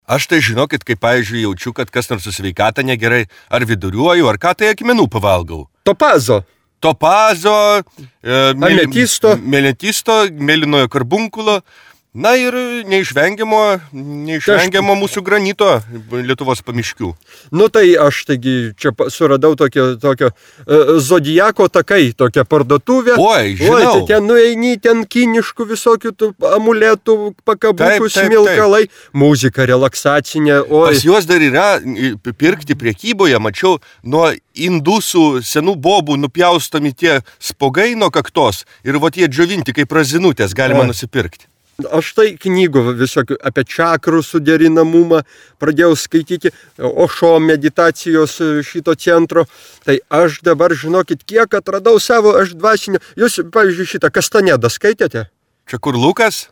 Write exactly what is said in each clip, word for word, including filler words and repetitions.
Aš tai žinokit, kaip pavyzdžiui jaučiu, kad kas nors su sveikata negerai, ar viduriuoju, ar ką tai akmenų pavalgau. Topazo. Topazo, e, mėly, ametisto, mėlentisto, mėlynojo karbunkulo. Na ir neišvengiamo, neišvengiamo mūsų granito Lietuvos pamiškių. Nu tai aš taigi čia suradau tokio, tokio uh, zodiako takai, tokią parduotuvę. Oi, žinau. Oi, tai ten nueini, ten kiniškų visokių tų amuletų, pakabukų, smilkalai, muzika relaksacinė. Oi. Pas juos dar yra pirkti prekyboje, mačiau, nuo indusų senų bobų nupjaustomi tie spogai nuo kaktos ir vat jie džiovinti kaip razinutės galima A. nusipirkti. Aš tai knygų visokių apie čakrų suderinamumą pradėjau skaityti, Ošo meditacijos šito centro. Tai aš dabar, žinokit, kiek atradau savo aš dvasinio. Jūs, pavyzdžiui, šitą Kastanedą skaitėte? Čia kur Lukas?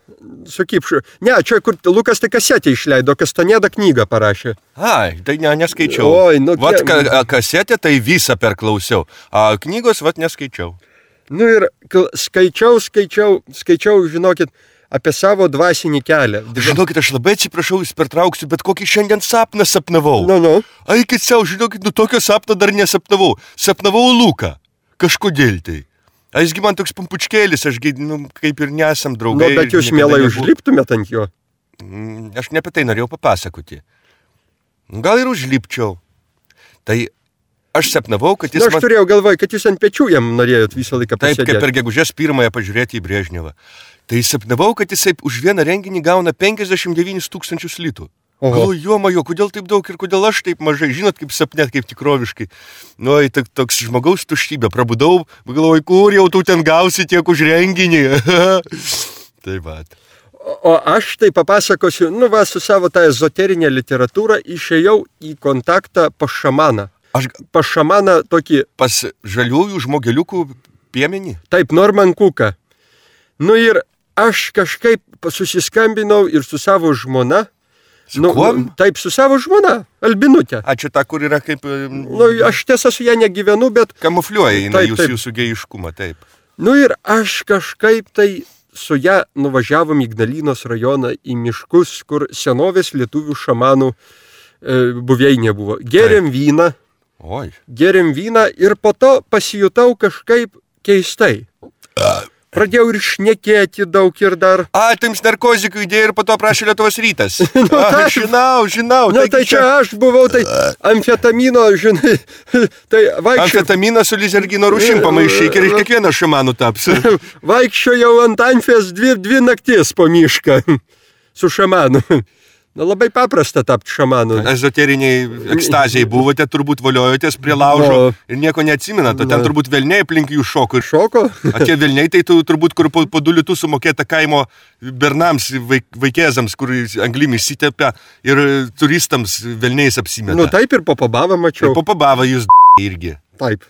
Su Kipšu. Ne, čia kur Lukas tai kasetę išleido, Kastaneda knygą parašė. Ai, tai ne, neskaičiau. Oi, nu, vat ka, kasetę tai visą perklausiau, o knygos vat neskaičiau. Nu ir skaičiau, skaičiau, skaičiau, žinokit, apie savo dvasinį kelią. Žinokit, aš labai atsiprašau, jūs pertrauksiu, bet kokį šiandien sapną sapnavau. Nu, nu. Aikit savo, žinokit, nu tokio sapno dar nesapnavau. Sapnavau Luką. Kažkodėl tai. A jisgi man toks pumpučkėlis, ašgi, nu, kaip ir nesam draugai. Nu, bet jūs mielai užliptumėt ant jo. Aš ne apie tai norėjau papasakoti. Gal ir užlipčiau. Tai aš sapnavau, kad jis... Na, aš man... turėjau galvoj, kad jūs ant pečių jam norėjot visą laiką pasėdėti. Taip, kaip per gegužės pirmąją pažiūrėti į Brežnevą. Tai sapnavau, kad jisai už vieną renginį gauna penkiasdešimt devynis tūkstančius litų. Galvoju, jo majo, kodėl taip daug ir kodėl aš taip mažai, žinot, kaip sapnet, kaip tikroviškai. Nu, tai toks žmogaus tuštybė, prabudau, galvoju, kur jau tu ten gausi tiek už renginį. Tai va. O aš tai papasakosiu, nu va, su savo tą ezoterinę literatūrą išėjau į kontaktą pas šamaną. Aš pas šamaną tokį... Pas žaliųjų žmogeliukų piemenį? Taip, Norman Cooką. Nu ir aš kažkaip susiskambinau ir su savo žmona. Su nu, kuom? Taip, su savo žmona, Albinutė. A, čia ta, kur yra kaip... Nu, aš tiesa su ją negyvenu, bet... Kamufliuoja jinai jūs, jūsų gėjiškumą, taip. Nu ir aš kažkaip tai su ją nuvažiavom į Ignalinos rajoną, į miškus, kur senovės lietuvių šamanų e, buveinė buvo. Gėrėm taip. vyną. Oi. Gėrėm vyną ir po to pasijutau kažkaip keistai. A. Pradėjau ir šnekėti daug ir dar. A, tai jums narkozikų idėja ir po to prašė Lietuvos rytas. nu, A, žinau, žinau. Nu, tai čia aš buvau, tai amfetamino, žinai, tai vaikščiau. Amfetaminą su lizergino rūšim pamaišyk ir iš kiekvieno šamanų taps. Vaikščiojau ant amfės dvi, dvi naktis po mišką su šamanu. Na, labai paprasta tapti šamanu. Ezoteriniai ekstazijai buvote, turbūt voliojotės prie laužo no. ir nieko neatsimenate. Ten turbūt velniai aplink jų šoko. Šoko? O tie velniai tai tu, turbūt, kur po, po du litus sumokėta kaimo bernams, vaik, vaikėzams, kur anglimi įsitepia ir turistams velniais apsimeta. Nu taip ir po pabavą mačiau. Ir po pabavą jūs irgi. Taip.